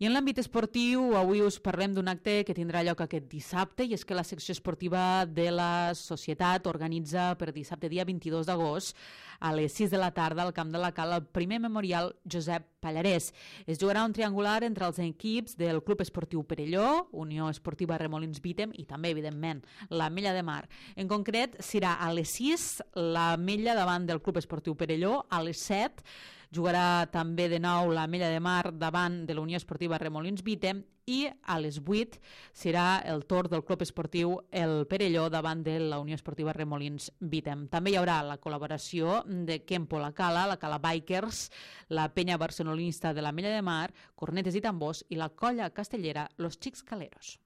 I en l'àmbit esportiu, avui us parlem d'un acte que tindrà lloc aquest dissabte, i és que la secció esportiva de la Societat organitza per dissabte, dia 22 d'agost, a les 6 de la tarda al Camp de la Cal, el primer memorial Josep Pallarès. Es jugarà un triangular entre els equips del Club Esportiu Perelló, Unió Esportiva Remolins Vítem i també, evidentment, l'Ametlla de Mar. En concret, serà a les 6 l'Ametlla davant del Club Esportiu Perelló, a les 7 jugarà també de nou l'Ametlla de Mar davant de la Unió Esportiva Remolins Vítem i a les 8 serà el torn del Club Esportiu el Perelló davant de la Unió Esportiva Remolins Vítem. També hi haurà la col·laboració de Kempo la Cala Bikers, la penya barcelonista de l'Ametlla de Mar, cornetes i tambors i la colla castellera Los Xics Caleros.